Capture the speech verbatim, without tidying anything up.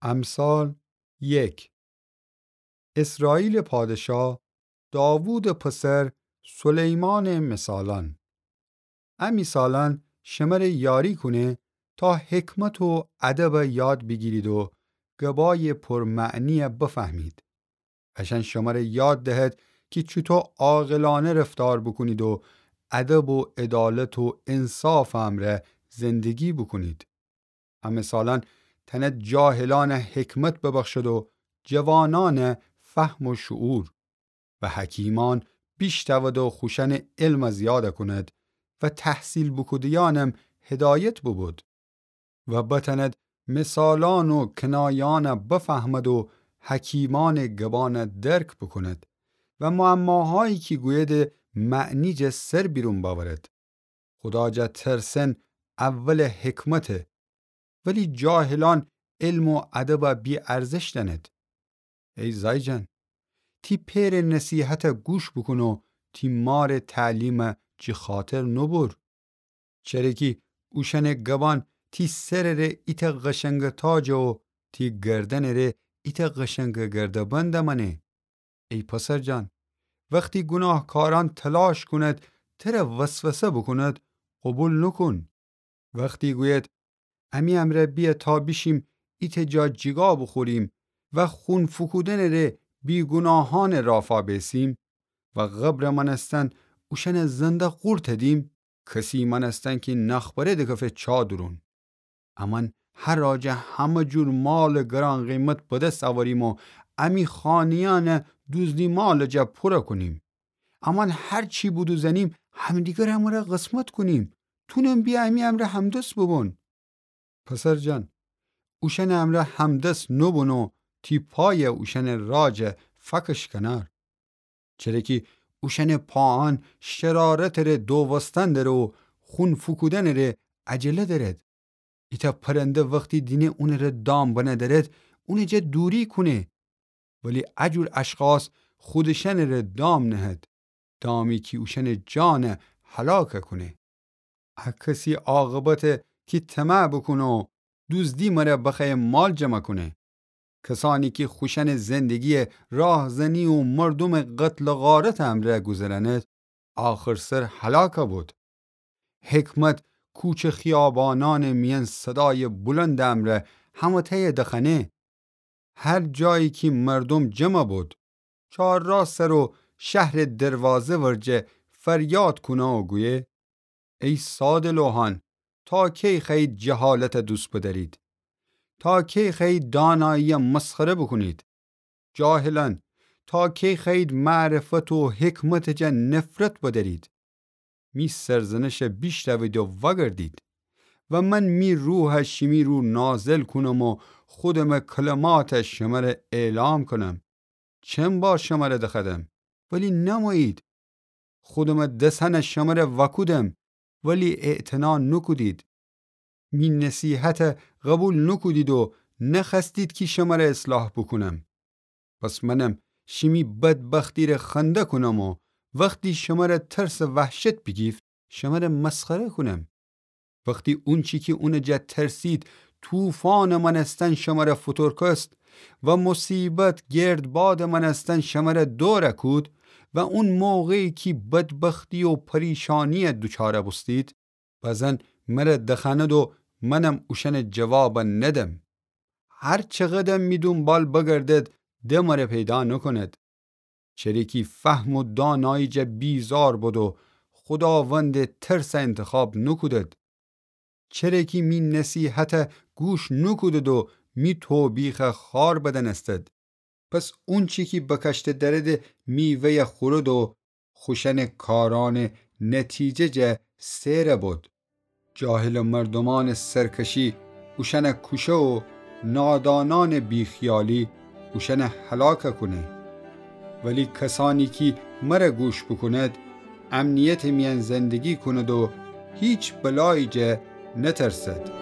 امثال یک. اسرائیلٚ پادشاه داوودٚ پسر سلیمانٚ مثالأن. ا مثالأن شمره یاری کونه تا حکمت و ادب یاد بیگیرید و گبایٚ پرمعنی بفهمید. اشأن شمره یاد دهد کی چوطو عاقلأنه رفتار بوکونید و ادب و عدالت و انصافٚ امرأ زندگی بوکونید. ا مثالأن تأند جاهلأن حکمت ببخشد و جوانأن فهم و شعور و حکیمأن بیشتأود و خوشأنٚ علم زیاد کند و تحصیل بوکوده‌یأنم هدایت ببود و بتأند مثالأن و کنایأن بفهمد و حکیمأنٚ گبأن درک بوکند و معماهایی کی گویده معنی جه سر بیرون بأورد. خودا جا ترسن اولٚ حکمته، ولی جاهلأن علم و ادب بی‌ارزش دأند. ای زأیجان، تی پئرٚ نصیحت گوش بوکون و تی مارٚ تعلیم جی خاطر نوبر. چره کی اوشأنٚ گبأن تی سرٚ ره ایتأ قشنگ تاجه و تی گردنٚ ره ایتأ قشنگ گرده‌بند مأنه. ای پسر جان، وختی گوناهکارأن تلاش کونید تره وسوسه بوکونید، قوبیل نوکون. وختی گویید، امی امرأ بیه تا بیشیم ایتأ جا جیگا بوخوریم و خون فوکودنٚ ره بیگوناهأنٚ رافا بیسیم و قبرٚ مأنستن اوشأنٚ زنده قورت دیم، کسی مأنستن کی نخبره دکفه چا دورون. امأن هر آجه همه جور مالٚ گران قیمت به دس اوریم و امی خانه‌یأن دوزدی مالٚ جا پوره کونیم. امأن هر چی بودوزنیم همدیگر امره قسمت کونیم. تونم بیه امی امرأ همدس ببون. پسر جان، اوشأنٚ امرأ همدس نوبون و تی پای اوشأنٚ راجه فکش کنار. چره کی اوشأنٚ پاأن شرارتٚ ره دووستن دره و خون فوکودنٚ ره عجله درد. ایتأ پرنده وختی دینه اونٚ ره دام بنه درد، اونٚ جا دوری کونه. ولی ا جور اشخاص خودشأنٚ ره دام نهد، دامی کی اوشأنٚ جان هلاک کونه. ا کسی عاقبته کی طمع بوکونه و دوزدی مره بخوأیه مال جمع کونه. کسأنی کی خوشأنٚ زندگی راهزنی و مردومٚ قتل و غارتٚ امرأ گوذرأنید، آخرسر هلاک بود. حکمت کوچه خیابانأنٚ میأن صدایٚ بلندٚ امرأ همه‌تأیه دخوأنه. هر جایی کی مردوم جمع بود، چهارراه سر و شهرٚ دروازه ورجه فریاد کونه و گویه: ای ساده‌لوحأن، تا کی خوأیید جهالت دوست بدأرید؟ تا کی خوأیید دانایی مسخره بوکونید؟ جاهلأن، تا کی خوأیید معرفت و حکمت جا نفرت بدأرید؟ می سرزنش بیشنوید و وأگردید و من می روح شیمی رو نازل کونم و خودمٚ کلمات شمره اعلام کونم. چن بار شمره دخوأدم، ولی نمویید. خودمٚ دسأن شمره وأکودم، ولی اعتنا نوکودید. می نصیحت قبول نوکودید و نخوأستید کی شمره اصلاح بوکونم. پس منم شیمی بدبختی ره خنده کونم و وختی شمره ترس و وحشت بیگیفت، شمره مسخره کونم. وختی اونچی کی اونٚ جا ترسید، طوفانٚ مأنستن شمره فوتورکست و مصیبت گردبادٚ مأنستن شمره دور کود و اون موقعی کی بدبختی و پریشانی دوچار بوستید، بزن مره دخوأنید و منم اوشأنٚ جواب ندم. هر چقدم می دونبال بگردد، د مره پیدا نوکوند. چره کی فهم و دانایی جا بیزار بد و خوداوندٚ ترس انتخاب نوکودد. چره کی می نصیحت گوش نوکودد و می توبیخ خوأر بدنستد. پس اونچی کی بکشته درد میوه‌ی خورد و خوشأنٚ کارأنٚ نتیجه جا سئر بد. جاهلٚ مردومأنٚ سرکشی اوشأن کوشه و نادانأنٚ بیخیالی اوشأن هلاک کونه. ولی کسأنی کی مره گوش بوکوند، امنیتٚ میأن زندگی کوند و هیچ بلایی جا نترسد.